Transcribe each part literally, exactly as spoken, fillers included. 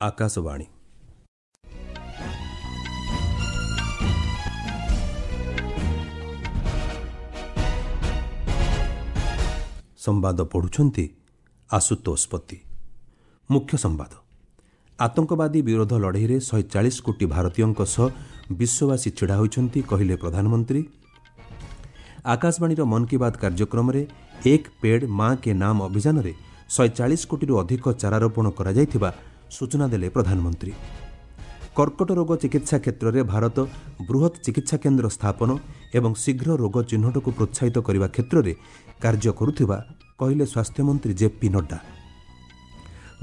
ଆକାଶବାଣୀ। ସମ୍ବାଦ ପଢ଼ୁଛନ୍ତି ଆଶୁତୋଷ ପତି। ମୁଖ୍ୟ ସମ୍ବାଦ। ଆତଙ୍କବାଦୀ ବିରୋଧ ଲଢ଼େଇରେ ଶହେ ଚାଳିଶ କୋଟି ଭାରତୀୟଙ୍କ ସହ ବିଶ୍ୱବାସୀ ଛିଡ଼ା ହୋଇଛନ୍ତି, କହିଲେ ପ୍ରଧାନମନ୍ତ୍ରୀ। ଆକାଶବାଣୀର ମନ୍ କି ବାତ୍ କାର୍ଯ୍ୟକ୍ରମରେ ଏକ ପେଡ୍ ମା କେ ନାମ ଅଭିଯାନରେ ଶହେ ଚାଳିଶ କୋଟିରୁ ଅଧିକ ଚାରାରୋପଣ କରାଯାଇଥିବା ସୂଚନା ଦେଲେ ପ୍ରଧାନମନ୍ତ୍ରୀ। କର୍କଟ ରୋଗ ଚିକିତ୍ସା କ୍ଷେତ୍ରରେ ଭାରତ ବୃହତ୍ ଚିକିତ୍ସା କେନ୍ଦ୍ର ସ୍ଥାପନ ଏବଂ ଶୀଘ୍ର ରୋଗ ଚିହ୍ନଟକୁ ପ୍ରୋତ୍ସାହିତ କରିବା କ୍ଷେତ୍ରରେ କାର୍ଯ୍ୟ କରୁଥିବା କହିଲେ ସ୍ୱାସ୍ଥ୍ୟମନ୍ତ୍ରୀ ଜେପି ନଡ୍ଡା।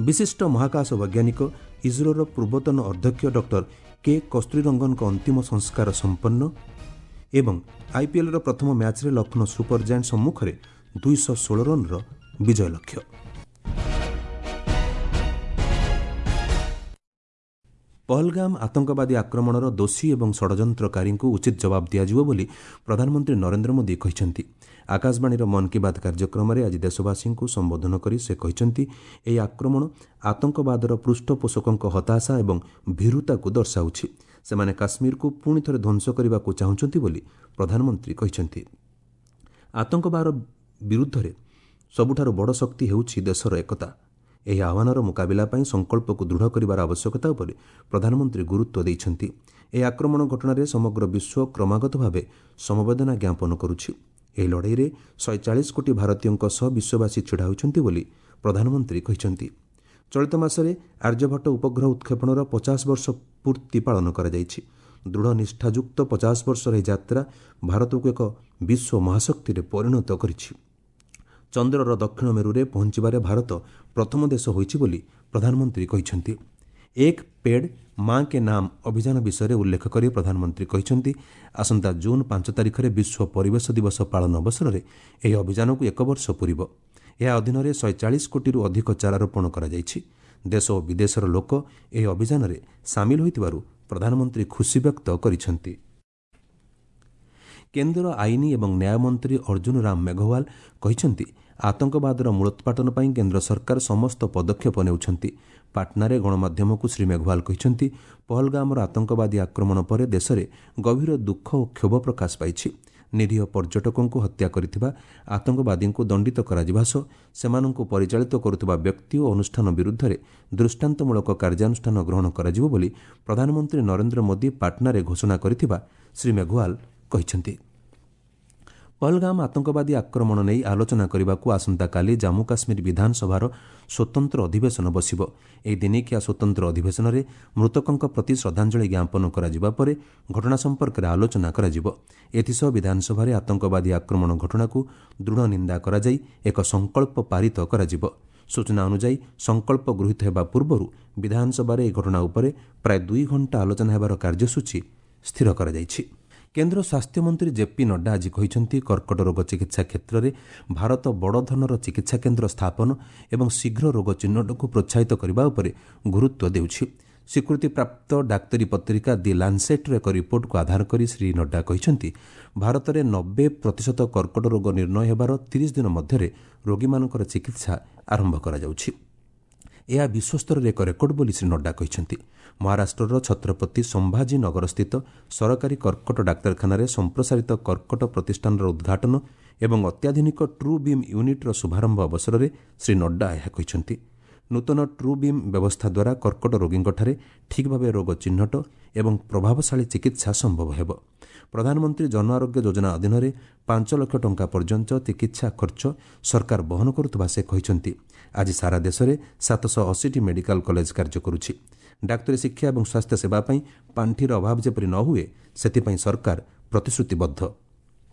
ବିଶିଷ୍ଟ ମହାକାଶ ବୈଜ୍ଞାନିକ ଇସ୍ରୋର ପୂର୍ବତନ ଅଧ୍ୟକ୍ଷ ଡକ୍ଟର କେ କସ୍ତୁରୀରଙ୍ଗନଙ୍କ ଅନ୍ତିମ ସଂସ୍କାର ସମ୍ପନ୍ନ ଏବଂ ଆଇପିଏଲ୍ର ପ୍ରଥମ ମ୍ୟାଚ୍ରେ ଲକ୍ଷ୍ନୌ ସୁପର ଜାଏଣ୍ଟ ସମ୍ମୁଖରେ ଦୁଇଶହ ଷୋହଳ ରନ୍ର ବିଜୟ ଲକ୍ଷ୍ୟ। ପହଲଗାମ ଆତଙ୍କବାଦୀ ଆକ୍ରମଣର ଦୋଷୀ ଏବଂ ଷଡ଼ଯନ୍ତ୍ରକାରୀଙ୍କୁ ଉଚିତ ଜବାବ ଦିଆଯିବ ବୋଲି ପ୍ରଧାନମନ୍ତ୍ରୀ ନରେନ୍ଦ୍ର ମୋଦି କହିଛନ୍ତି। ଆକାଶବାଣୀର ମନ୍ କି ବାତ୍ କାର୍ଯ୍ୟକ୍ରମରେ ଆଜି ଦେଶବାସୀଙ୍କୁ ସମ୍ବୋଧନ କରି ସେ କହିଛନ୍ତି, ଏହି ଆକ୍ରମଣ ଆତଙ୍କବାଦର ପୃଷ୍ଠପୋଷକଙ୍କ ହତାଶା ଏବଂ ଭୀରୁତାକୁ ଦର୍ଶାଉଛି। ସେମାନେ କାଶ୍ମୀରକୁ ପୁଣି ଥରେ ଧ୍ୱଂସ କରିବାକୁ ଚାହୁଁଛନ୍ତି ବୋଲି ପ୍ରଧାନମନ୍ତ୍ରୀ କହିଛନ୍ତି। ଆତଙ୍କବାଦ ବିରୁଦ୍ଧରେ ସବୁଠାରୁ ବଡ଼ ଶକ୍ତି ହେଉଛି ଦେଶର ଏକତା। ଏହି ଆହ୍ୱାନର ମୁକାବିଲା ପାଇଁ ସଂକଳ୍ପକୁ ଦୃଢ଼ କରିବାର ଆବଶ୍ୟକତା ଉପରେ ପ୍ରଧାନମନ୍ତ୍ରୀ ଗୁରୁତ୍ୱ ଦେଇଛନ୍ତି। ଏହି ଆକ୍ରମଣ ଘଟଣାରେ ସମଗ୍ର ବିଶ୍ୱ କ୍ରମାଗତ ଭାବେ ସମବେଦନା ଜ୍ଞାପନ କରୁଛି। ଏହି ଲଢ଼େଇରେ ଶହେ ଚାଳିଶ କୋଟି ଭାରତୀୟଙ୍କ ସହ ବିଶ୍ୱବାସୀ ଛିଡ଼ା ହୋଇଛନ୍ତି ବୋଲି ପ୍ରଧାନମନ୍ତ୍ରୀ କହିଛନ୍ତି। ଚଳିତ ମାସରେ ଆର୍ଯ୍ୟଭଟ୍ଟ ଉପଗ୍ରହ ଉତ୍କ୍ଷେପଣର ପଚାଶ ବର୍ଷ ପୂର୍ତ୍ତି ପାଳନ କରାଯାଇଛି। ଦୃଢ଼ ନିଷ୍ଠାଯୁକ୍ତ ପଚାଶ ବର୍ଷର ଏହି ଯାତ୍ରା ଭାରତକୁ ଏକ ବିଶ୍ୱ ମହାଶକ୍ତିରେ ପରିଣତ କରିଛି। ଚନ୍ଦ୍ରର ଦକ୍ଷିଣ ମେରୁରେ ପହଞ୍ଚିବାରେ ଭାରତ ପ୍ରଥମ ଦେଶ ହୋଇଛି ବୋଲି ପ୍ରଧାନମନ୍ତ୍ରୀ କହିଛନ୍ତି। ଏକ ପେଡ୍ ମା କେ ନାମ ଅଭିଯାନ ବିଷୟରେ ଉଲ୍ଲେଖ କରି ପ୍ରଧାନମନ୍ତ୍ରୀ କହିଛନ୍ତି, ଆସନ୍ତା ଜୁନ୍ ପାଞ୍ଚ ତାରିଖରେ ବିଶ୍ୱ ପରିବେଶ ଦିବସ ପାଳନ ଅବସରରେ ଏହି ଅଭିଯାନକୁ ଏକ ବର୍ଷ ପୂରିବ। ଏହା ଅଧୀନରେ ଶହେ ଚାଳିଶ କୋଟିରୁ ଅଧିକ ଚାରାରୋପଣ କରାଯାଇଛି। ଦେଶ ଓ ବିଦେଶର ଲୋକ ଏହି ଅଭିଯାନରେ ସାମିଲ ହୋଇଥିବାରୁ ପ୍ରଧାନମନ୍ତ୍ରୀ ଖୁସି ବ୍ୟକ୍ତ କରିଛନ୍ତି। କେନ୍ଦ୍ର ଆଇନ ଏବଂ ନ୍ୟାୟ ମନ୍ତ୍ରୀ ଅର୍ଜୁନ ରାମ ମେଘୱାଲ କହିଛନ୍ତି, ଆତଙ୍କବାଦର ମୂଳୋତ୍ପାଟନ ପାଇଁ କେନ୍ଦ୍ର ସରକାର ସମସ୍ତ ପଦକ୍ଷେପ ନେଉଛନ୍ତି। ପାଟନାରେ ଗଣମାଧ୍ୟମକୁ ଶ୍ରୀ ମେଘୱାଲ କହିଛନ୍ତି, ପହଲଗାମର ଆତଙ୍କବାଦୀ ଆକ୍ରମଣ ପରେ ଦେଶରେ ଗଭୀର ଦୁଃଖ ଓ କ୍ଷୋଭ ପ୍ରକାଶ ପାଇଛି। ନିରୀହ ପର୍ଯ୍ୟଟକଙ୍କୁ ହତ୍ୟା କରିଥିବା ଆତଙ୍କବାଦୀଙ୍କୁ ଦଣ୍ଡିତ କରାଯିବା ସହ ସେମାନଙ୍କୁ ପରିଚାଳିତ କରୁଥିବା ବ୍ୟକ୍ତି ଓ ଅନୁଷ୍ଠାନ ବିରୁଦ୍ଧରେ ଦୃଷ୍ଟାନ୍ତମୂଳକ କାର୍ଯ୍ୟାନୁଷ୍ଠାନ ଗ୍ରହଣ କରାଯିବ ବୋଲି ପ୍ରଧାନମନ୍ତ୍ରୀ ନରେନ୍ଦ୍ର ମୋଦି ପାଟନାରେ ଘୋଷଣା କରିଥିବା ଶ୍ରୀ ମେଘୱାଲ କହିଛନ୍ତି। ପହଲଗାମ ଆତଙ୍କବାଦୀ ଆକ୍ରମଣ ନେଇ ଆଲୋଚନା କରିବାକୁ ଆସନ୍ତାକାଲି ଜାମ୍ମୁ କାଶ୍ମୀର ବିଧାନସଭାର ସ୍ୱତନ୍ତ୍ର ଅଧିବେଶନ ବସିବ। ଏହି ଦିନିକିଆ ସ୍ୱତନ୍ତ୍ର ଅଧିବେଶନରେ ମୃତକଙ୍କ ପ୍ରତି ଶ୍ରଦ୍ଧାଞ୍ଜଳି ଜ୍ଞାପନ କରାଯିବା ପରେ ଘଟଣା ସମ୍ପର୍କରେ ଆଲୋଚନା କରାଯିବ। ଏଥିସହ ବିଧାନସଭାରେ ଆତଙ୍କବାଦୀ ଆକ୍ରମଣ ଘଟଣାକୁ ଦୃଢ଼ ନିନ୍ଦା କରାଯାଇ ଏକ ସଂକଳ୍ପ ପାରିତ କରାଯିବ। ସୂଚନା ଅନୁଯାୟୀ, ସଂକଳ୍ପ ଗୃହୀତ ହେବା ପୂର୍ବରୁ ବିଧାନସଭାରେ ଏହି ଘଟଣା ଉପରେ ପ୍ରାୟ ଦୁଇ ଘଣ୍ଟା ଆଲୋଚନା ହେବାର କାର୍ଯ୍ୟସୂଚୀ ସ୍ଥିର କରାଯାଇଛି। କେନ୍ଦ୍ର ସ୍ୱାସ୍ଥ୍ୟମନ୍ତ୍ରୀ ଜେପି ନଡ୍ଡା ଆଜି କହିଛନ୍ତି, କର୍କଟ ରୋଗ ଚିକିତ୍ସା କ୍ଷେତ୍ରରେ ଭାରତ ବଡ଼ ଧରଣର ଚିକିତ୍ସା କେନ୍ଦ୍ର ସ୍ଥାପନ ଏବଂ ଶୀଘ୍ର ରୋଗ ଚିହ୍ନଟକୁ ପ୍ରୋତ୍ସାହିତ କରିବା ଉପରେ ଗୁରୁତ୍ୱ ଦେଉଛି। ସ୍ୱୀକୃତିପ୍ରାପ୍ତ ଡାକ୍ତରୀ ପତ୍ରିକା ଦି ଲାନ୍ସେଟ୍ର ଏକ ରିପୋର୍ଟକୁ ଆଧାର କରି ଶ୍ରୀ ନଡ୍ଡା କହିଛନ୍ତି, ଭାରତରେ ନବେ ପ୍ରତିଶତ କର୍କଟ ରୋଗ ନିର୍ଣ୍ଣୟ ହେବାର ତିରିଶ ଦିନ ମଧ୍ୟରେ ରୋଗୀମାନଙ୍କର ଚିକିତ୍ସା ଆରମ୍ଭ କରାଯାଉଛି। ଏହା ବିଶ୍ୱସ୍ତରରେ ଏକ ରେକର୍ଡ ବୋଲି ଶ୍ରୀ ନଡ୍ଡା କହିଛନ୍ତି। ମହାରାଷ୍ଟ୍ରର ଛତ୍ରପତି ସମ୍ଭାଜୀ ନଗରସ୍ଥିତ ସରକାରୀ କର୍କଟ ଡାକ୍ତରଖାନାରେ ସମ୍ପ୍ରସାରିତ କର୍କଟ ପ୍ରତିଷ୍ଠାନର ଉଦ୍ଘାଟନ ଏବଂ ଅତ୍ୟାଧୁନିକ ଟ୍ରୁ ବିମ୍ ୟୁନିଟ୍ର ଶୁଭାରମ୍ଭ ଅବସରରେ ଶ୍ରୀ ନଡ୍ଡା ଏହା କହିଛନ୍ତି। ନୂତନ ଟ୍ରୁ ବିମ୍ ବ୍ୟବସ୍ଥା ଦ୍ୱାରା କର୍କଟ ରୋଗୀଙ୍କଠାରେ ଠିକ୍ ଭାବେ ରୋଗ ଚିହ୍ନଟ ଏବଂ ପ୍ରଭାବଶାଳୀ ଚିକିତ୍ସା ସମ୍ଭବ ହେବ। ପ୍ରଧାନମନ୍ତ୍ରୀ ଜନ ଆରୋଗ୍ୟ ଯୋଜନା ଅଧୀନରେ ପାଞ୍ଚ ଲକ୍ଷ ଟଙ୍କା ପର୍ଯ୍ୟନ୍ତ ଚିକିତ୍ସା ଖର୍ଚ୍ଚ ସରକାର ବହନ କରୁଥିବା ସେ କହିଛନ୍ତି। ଆଜି ସାରା ଦେଶରେ ସାତଶହ ଅଶୀଟି ମେଡିକାଲ କଲେଜ କାର୍ଯ୍ୟ କରୁଛି। ଡାକ୍ତରୀ ଶିକ୍ଷା ଏବଂ ସ୍ୱାସ୍ଥ୍ୟ ସେବା ପାଇଁ ପାଣ୍ଠିର ଅଭାବ ଯେପରି ନ ହୁଏ, ସେଥିପାଇଁ ସରକାର ପ୍ରତିଶ୍ରୁତିବଦ୍ଧ।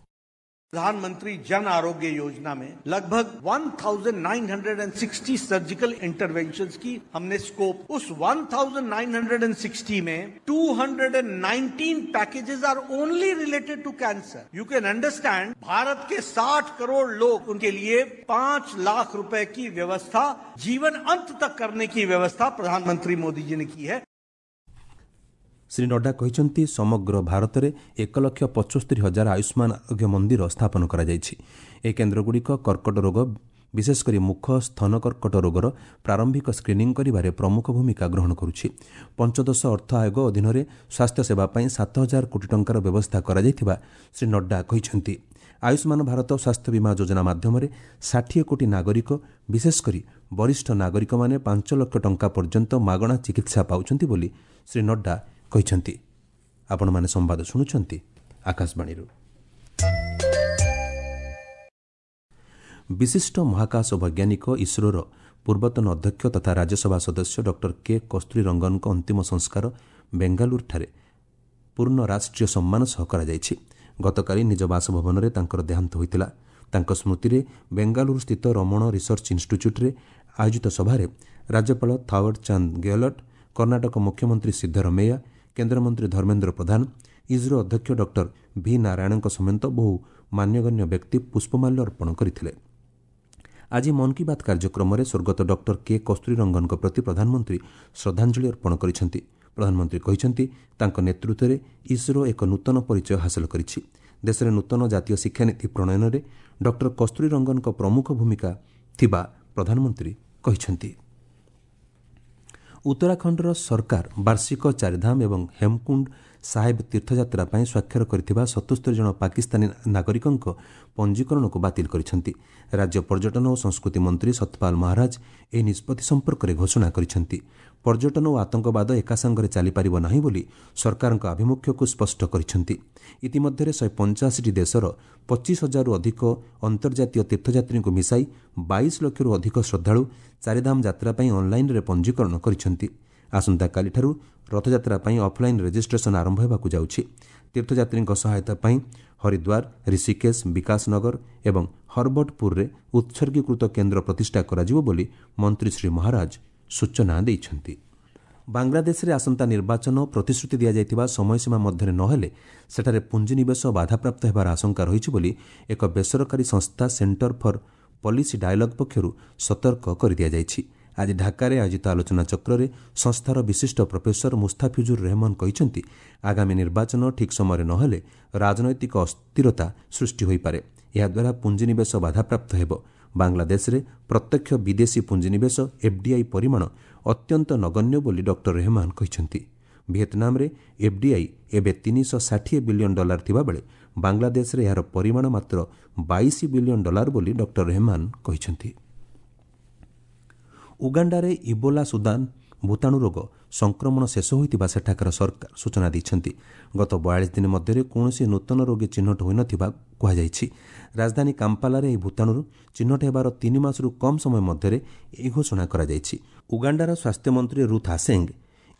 प्रधानमंत्री जन आरोग्य योजना में लगभग उनहत्तर सौ साठ सर्जिकल इंटरवेंशंस की हमने स्कोप, उस उनहत्तर सौ साठ में दो सौ उन्नीस packages are only related to cancer. You can understand, Bharat के साठ करोड़ लोग, उनके लिए पांच लाख रुपए की व्यवस्था जीवन अंत तक करने की व्यवस्था प्रधानमंत्री मोदी जी ने की है। ଶ୍ରୀ ନଡ୍ଡା କହିଛନ୍ତି, ସମଗ୍ର ଭାରତରେ ଏକ ଲକ୍ଷ ପଞ୍ଚସ୍ତରୀ ହଜାର ଆୟୁଷ୍ମାନ ଆରୋଗ୍ୟ ମନ୍ଦିର ସ୍ଥାପନ କରାଯାଇଛି। ଏହି କେନ୍ଦ୍ରଗୁଡ଼ିକ କର୍କଟ ରୋଗ, ବିଶେଷ କରି ମୁଖ ସ୍ତନ କର୍କଟ ରୋଗର ପ୍ରାରମ୍ଭିକ ସ୍କ୍ରିନିଂ କରିବାରେ ପ୍ରମୁଖ ଭୂମିକା ଗ୍ରହଣ କରୁଛି। ପଞ୍ଚଦଶ ଅର୍ଥ ଆୟୋଗ ଅଧୀନରେ ସ୍ୱାସ୍ଥ୍ୟସେବା ପାଇଁ ସାତ ହଜାର କୋଟି ଟଙ୍କାର ବ୍ୟବସ୍ଥା କରାଯାଇଥିବା ଶ୍ରୀ ନଡ୍ଡା କହିଛନ୍ତି। ଆୟୁଷ୍ମାନ ଭାରତ ସ୍ୱାସ୍ଥ୍ୟ ବୀମା ଯୋଜନା ମାଧ୍ୟମରେ ଷାଠିଏ କୋଟି ନାଗରିକ, ବିଶେଷ କରି ବରିଷ୍ଠ ନାଗରିକମାନେ ପାଞ୍ଚ ଲକ୍ଷ ଟଙ୍କା ପର୍ଯ୍ୟନ୍ତ ମାଗଣା ଚିକିତ୍ସା ପାଉଛନ୍ତି ବୋଲି ଶ୍ରୀ ନଡ୍ଡା କହିଛନ୍ତି। ଆପଣମାନେ ସମ୍ବାଦ ଶୁଣୁଛନ୍ତି ଆକାଶବାଣୀରୁ। ବିଶିଷ୍ଟ ମହାକାଶ ବୈଜ୍ଞାନିକ, ଇସ୍ରୋର ପୂର୍ବତନ ଅଧ୍ୟକ୍ଷ ତଥା ରାଜ୍ୟସଭା ସଦସ୍ୟ ଡକ୍ଟର କେ କସ୍ତୁରୀ ରଙ୍ଗନଙ୍କ ଅନ୍ତିମ ସଂସ୍କାର ବେଙ୍ଗାଲୁରୁଠାରେ ପୂର୍ଣ୍ଣ ରାଷ୍ଟ୍ରୀୟ ସମ୍ମାନ ସହ କରାଯାଇଛି। ଗତକାଲି ନିଜ ବାସଭବନରେ ତାଙ୍କର ଦେହାନ୍ତ ହୋଇଥିଲା। ତାଙ୍କ ସ୍ମୃତିରେ ବେଙ୍ଗାଲୁରୁସ୍ଥିତ ରମଣ ରିସର୍ଚ୍ଚ ଇନ୍ଷ୍ଟିଚ୍ୟୁଟ୍ରେ ଆୟୋଜିତ ସଭାରେ ରାଜ୍ୟପାଳ ଥାୱର ଚାନ୍ଦ ଗେହଲଟ୍, କର୍ଣ୍ଣାଟକ ମୁଖ୍ୟମନ୍ତ୍ରୀ ସିଦ୍ଧରମେୟା, କେନ୍ଦ୍ରମନ୍ତ୍ରୀ ଧର୍ମେନ୍ଦ୍ର ପ୍ରଧାନ, ଇସ୍ରୋ ଅଧ୍ୟକ୍ଷ ଡକ୍ଟର ଭି ନାରାୟଣଙ୍କ ସମେତ ବହୁ ମାନ୍ୟଗଣ୍ୟ ବ୍ୟକ୍ତି ପୁଷ୍ପମାଲ୍ୟ ଅର୍ପଣ କରିଥିଲେ। ଆଜି ମନ୍ କି ବାତ୍ କାର୍ଯ୍ୟକ୍ରମରେ ସ୍ୱର୍ଗତ ଡକ୍ଟର କେ କସ୍ତୁରୀ ରଙ୍ଗନଙ୍କ ପ୍ରତି ପ୍ରଧାନମନ୍ତ୍ରୀ ଶ୍ରଦ୍ଧାଞ୍ଜଳି ଅର୍ପଣ କରିଛନ୍ତି। ପ୍ରଧାନମନ୍ତ୍ରୀ କହିଛନ୍ତି, ତାଙ୍କ ନେତୃତ୍ୱରେ ଇସ୍ରୋ ଏକ ନୂତନ ପରିଚୟ ହାସଲ କରିଛି। ଦେଶରେ ନୂତନ ଜାତୀୟ ଶିକ୍ଷାନୀତି ପ୍ରଣୟନରେ ଡକ୍ଟର କସ୍ତୁରୀ ରଙ୍ଗନଙ୍କ ପ୍ରମୁଖ ଭୂମିକା ଥିବା ପ୍ରଧାନମନ୍ତ୍ରୀ କହିଛନ୍ତି। ଉତ୍ତରାଖଣ୍ଡର ସରକାର ବାର୍ଷିକ ଚାରିଧାମ ଏବଂ ହେମକୁଣ୍ଡ ସାହେବ ତୀର୍ଥଯାତ୍ରା ପାଇଁ ସ୍ୱାକ୍ଷର କରିଥିବା ସତସ୍ତରୀ ଜଣ ପାକିସ୍ତାନୀ ନାଗରିକଙ୍କ ପଞ୍ଜୀକରଣକୁ ବାତିଲ କରିଛନ୍ତି। ରାଜ୍ୟ ପର୍ଯ୍ୟଟନ ଓ ସଂସ୍କୃତି ମନ୍ତ୍ରୀ ସତପାଲ ମହାରାଜ ଏହି ନିଷ୍ପତ୍ତି ସମ୍ପର୍କରେ ଘୋଷଣା କରିଛନ୍ତି। ପର୍ଯ୍ୟଟନ ଓ ଆତଙ୍କବାଦ ଏକାସାଙ୍ଗରେ ଚାଲିପାରିବ ନାହିଁ ବୋଲି ସରକାରଙ୍କ ଆଭିମୁଖ୍ୟକୁ ସ୍ପଷ୍ଟ କରିଛନ୍ତି। ଇତିମଧ୍ୟରେ ଶହେ ପଞ୍ଚାଅଶୀଟି ଦେଶର ପଚିଶ ହଜାରରୁ ଅଧିକ ଅନ୍ତର୍ଜାତୀୟ ତୀର୍ଥଯାତ୍ରୀଙ୍କୁ ମିଶାଇ ବାଇଶ ଲକ୍ଷରୁ ଅଧିକ ଶ୍ରଦ୍ଧାଳୁ ଚାରିଧାମ ଯାତ୍ରା ପାଇଁ ଅନ୍ଲାଇନ୍ରେ ପଞ୍ଜୀକରଣ କରିଛନ୍ତି। ଆସନ୍ତାକାଲିଠାରୁ ରଥଯାତ୍ରା ପାଇଁ ଅଫ୍ଲାଇନ୍ ରେଜିଷ୍ଟ୍ରେସନ ଆରମ୍ଭ ହେବାକୁ ଯାଉଛି। ତୀର୍ଥଯାତ୍ରୀଙ୍କ ସହାୟତା ପାଇଁ ହରିଦ୍ୱାର, ଋଷିକେଶ, ବିକାଶନଗର ଏବଂ ହରବର୍ଟପୁରରେ ଉତ୍ସର୍ଗୀକୃତ କେନ୍ଦ୍ର ପ୍ରତିଷ୍ଠା କରାଯିବ ବୋଲି ମନ୍ତ୍ରୀ ଶ୍ରୀ ମହାରାଜ ସୂଚନା ଦେଇଛନ୍ତି। ବାଂଲାଦେଶରେ ଆସନ୍ତା ନିର୍ବାଚନ ପ୍ରତିଶ୍ରୁତି ଦିଆଯାଇଥିବା ସମୟସୀମା ମଧ୍ୟରେ ନହେଲେ ସେଠାରେ ପୁଞ୍ଜିନିବେଶ ବାଧାପ୍ରାପ୍ତ ହେବାର ଆଶଙ୍କା ରହିଛି ବୋଲି ଏକ ବେସରକାରୀ ସଂସ୍ଥା ସେଣ୍ଟର ଫର୍ ପଲିସି ଡାୟଲଗ୍ ପକ୍ଷରୁ ସତର୍କ କରିଦିଆଯାଇଛି। ଆଜି ଢାକାରେ ଆୟୋଜିତ ଆଲୋଚନାଚକ୍ରରେ ସଂସ୍ଥାର ବିଶିଷ୍ଟ ପ୍ରଫେସର ମୁସ୍ତାଫିଜୁର ରେହମାନ କହିଛନ୍ତି, ଆଗାମୀ ନିର୍ବାଚନ ଠିକ୍ ସମୟରେ ନହେଲେ ରାଜନୈତିକ ଅସ୍ଥିରତା ସୃଷ୍ଟି ହୋଇପାରେ। ଏହାଦ୍ୱାରା ପୁଞ୍ଜିନିବେଶ ବାଧାପ୍ରାପ୍ତ ହେବ। ବାଂଲାଦେଶରେ ପ୍ରତ୍ୟକ୍ଷ ବିଦେଶୀ ପୁଞ୍ଜିନିବେଶ ଏଫ୍ଡିଆଇ ପରିମାଣ ଅତ୍ୟନ୍ତ ନଗଣ୍ୟ ବୋଲି ଡକ୍ଟର ରେହମାନ କହିଛନ୍ତି। ଭିଏତନାମରେ ଏଫ୍ଡିଆଇ ଏବେ ତିନିଶହ ଷାଠିଏ ବିଲିୟନ ଡଲାର ଥିବାବେଳେ ବାଂଲାଦେଶରେ ଏହାର ପରିମାଣ ମାତ୍ର ବାଇଶ ବିଲିୟନ ଡଲାର ବୋଲି ଡକ୍ଟର ରେହମାନ କହିଛନ୍ତି। ଉଗାଣ୍ଡାରେ ଇବୋଲା ସୁଦାନ ଭୂତାଣୁ ରୋଗ ସଂକ୍ରମଣ ଶେଷ ହୋଇଥିବା ସେଠାକାର ସରକାର ସୂଚନା ଦେଇଛନ୍ତି। ଗତ ବୟାଳିଶ ଦିନ ମଧ୍ୟରେ କୌଣସି ନୂତନ ରୋଗୀ ଚିହ୍ନଟ ହୋଇନଥିବା କୁହାଯାଇଛି। ରାଜଧାନୀ କାମ୍ପାଲାରେ ଏହି ଭୂତାଣୁରୁ ଚିହ୍ନଟ ହେବାର ତିନି ମାସରୁ କମ୍ ସମୟ ମଧ୍ୟରେ ଏହି ଘୋଷଣା କରାଯାଇଛି। ଉଗାଣ୍ଡାର ସ୍ୱାସ୍ଥ୍ୟମନ୍ତ୍ରୀ ରୁଥ୍ ଆସେଙ୍ଗ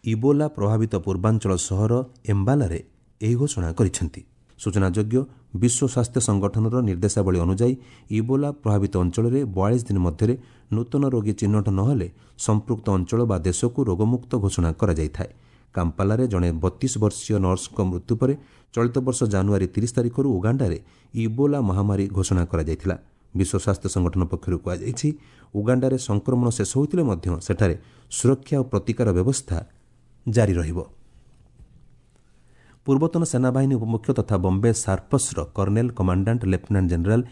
ଇବୋଲା ପ୍ରଭାବିତ ପୂର୍ବାଞ୍ଚଳ ସହର ଏମ୍ବାଲାରେ ଏହି ଘୋଷଣା କରିଛନ୍ତି। ସୂଚନାଯୋଗ୍ୟ, ବିଶ୍ୱ ସ୍ୱାସ୍ଥ୍ୟ ସଂଗଠନର ନିର୍ଦ୍ଦେଶାବଳୀ ଅନୁଯାୟୀ ଇବୋଲା ପ୍ରଭାବିତ ଅଞ୍ଚଳରେ ବୟାଳିଶ ଦିନ ମଧ୍ୟରେ ନୂତନ ରୋଗୀ ଚିହ୍ନଟ ନହେଲେ ସମ୍ପୃକ୍ତ ଅଞ୍ଚଳ ବା ଦେଶକୁ ରୋଗମୁକ୍ତ ଘୋଷଣା କରାଯାଇଥାଏ। କାମ୍ପାଲାରେ ଜଣେ ବତିଶ ବର୍ଷୀୟ ନର୍ସଙ୍କ ମୃତ୍ୟୁ ପରେ ଚଳିତ ବର୍ଷ ଜାନୁଆରୀ ତିରିଶ ତାରିଖରୁ ଉଗାଣ୍ଡାରେ ଇବୋଲା ମହାମାରୀ ଘୋଷଣା କରାଯାଇଥିଲା। ବିଶ୍ୱ ସ୍ୱାସ୍ଥ୍ୟ ସଂଗଠନ ପକ୍ଷରୁ କୁହାଯାଇଛି, ଉଗାଣ୍ଡାରେ ସଂକ୍ରମଣ ଶେଷ ହୋଇଥିଲେ ମଧ୍ୟ ସେଠାରେ ସୁରକ୍ଷା ଓ ପ୍ରତିକାର ବ୍ୟବସ୍ଥା ଜାରି ରହିବ। ପୂର୍ବତନ ସେନାବାହିନୀ ଉପମୁଖ୍ୟ ତଥା Bombay ସାର୍ପସ୍ର colonel commandant lieutenant general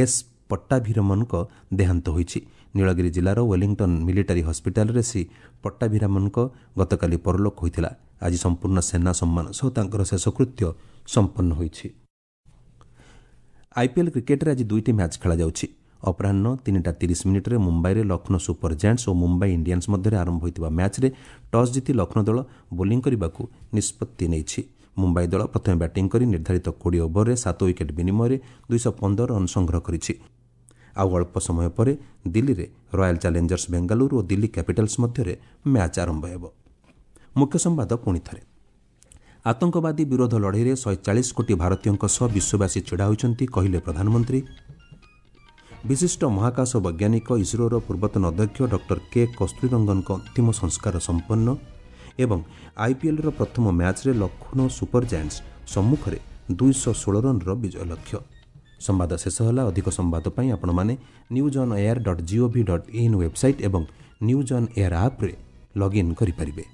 S ପଟ୍ଟାଭିରମନଙ୍କ ଦେହାନ୍ତ ହୋଇଛି। ନୀଳଗିରି ଜିଲ୍ଲାର ୱେଲିଂଟନ୍ ମିଲିଟାରୀ ହସ୍ପିଟାଲରେ ଶ୍ରୀ ପଟ୍ଟାଭିରାମନଙ୍କ ଗତକାଲି ପରଲୋକ ହୋଇଥିଲା। ଆଜି ସମ୍ପୂର୍ଣ୍ଣ ସେନା ସମ୍ମାନ ସହ ତାଙ୍କର ଶେଷକୃତ୍ୟ ସମ୍ପନ୍ନ ହୋଇଛି। ଆଇପିଏଲ୍ କ୍ରିକେଟରେ ଆଜି ଦୁଇଟି ମ୍ୟାଚ୍ ଖେଳାଯାଉଛି। ଅପରାହ୍ନ ତିନିଟା ତିରିଶ ମିନିଟ୍ରେ ମୁମ୍ବାଇରେ ଲକ୍ଷ୍ନୌ ସୁପର ଜାଏଣ୍ଟସ୍ ଓ ମୁମ୍ବାଇ ଇଣ୍ଡିଆନ୍ସ ମଧ୍ୟରେ ଆରମ୍ଭ ହୋଇଥିବା ମ୍ୟାଚ୍ରେ ଟସ୍ ଜିତି ଲକ୍ଷ୍ନୌ ଦଳ ବୋଲିଂ କରିବାକୁ ନିଷ୍ପତ୍ତି ନେଇଛି। ମୁମ୍ବାଇ ଦଳ ପ୍ରଥମେ ବ୍ୟାଟିଂ କରି ନିର୍ଦ୍ଧାରିତ କୋଡ଼ିଏ ଓଭରରେ ସାତ ୱିକେଟ୍ ବିନିମୟରେ ଦୁଇଶହ ପନ୍ଦର ରନ୍ ସଂଗ୍ରହ କରିଛି। ଆଉ ଅଳ୍ପ ସମୟ ପରେ ଦିଲ୍ଲୀରେ ରୟାଲ୍ ଚ୍ୟାଲେଞ୍ଜର୍ସ ବେଙ୍ଗାଲୁରୁ ଓ ଦିଲ୍ଲୀ କ୍ୟାପିଟାଲ୍ସ ମଧ୍ୟରେ ମ୍ୟାଚ୍ ଆରମ୍ଭ ହେବ। ମୁଖ୍ୟ ସମ୍ବାଦ ପୁଣି ଥରେ। ଆତଙ୍କବାଦୀ ବିରୋଧ ଲଢ଼େଇରେ ଶହେ ଚାଳିଶ କୋଟି ଭାରତୀୟଙ୍କ ସହ ବିଶ୍ୱବାସୀ ଛିଡ଼ା ହୋଇଛନ୍ତି, କହିଲେ ପ୍ରଧାନମନ୍ତ୍ରୀ। ବିଶିଷ୍ଟ ମହାକାଶ ବୈଜ୍ଞାନିକ, ଇସ୍ରୋର ପୂର୍ବତନ ଅଧ୍ୟକ୍ଷ ଡକ୍ଟର କେ କସ୍ତୁରୀରଙ୍ଗନଙ୍କ ଅନ୍ତିମ ସଂସ୍କାର ସମ୍ପନ୍ନ ଏବଂ ଆଇପିଏଲ୍ର ପ୍ରଥମ ମ୍ୟାଚ୍ରେ ଲକ୍ଷ୍ନୌ ସୁପର ଜାଏଣ୍ଟସ୍ ସମ୍ମୁଖରେ ଦୁଇଶହ ଷୋହଳ ରନ୍ର ବିଜୟ ଲକ୍ଷ୍ୟ। ସମ୍ବାଦ ଶେଷ ହେଲା। ଅଧିକ ସମ୍ବାଦ ପାଇଁ ଆପଣମାନେ news on air dot gov dot in website ଏବଂ ନ୍ୟୁଜ୍ ଅନ୍ ଏୟାର ଆପ୍ରେ ଲଗ୍ଇନ୍ କରିପାରିବେ।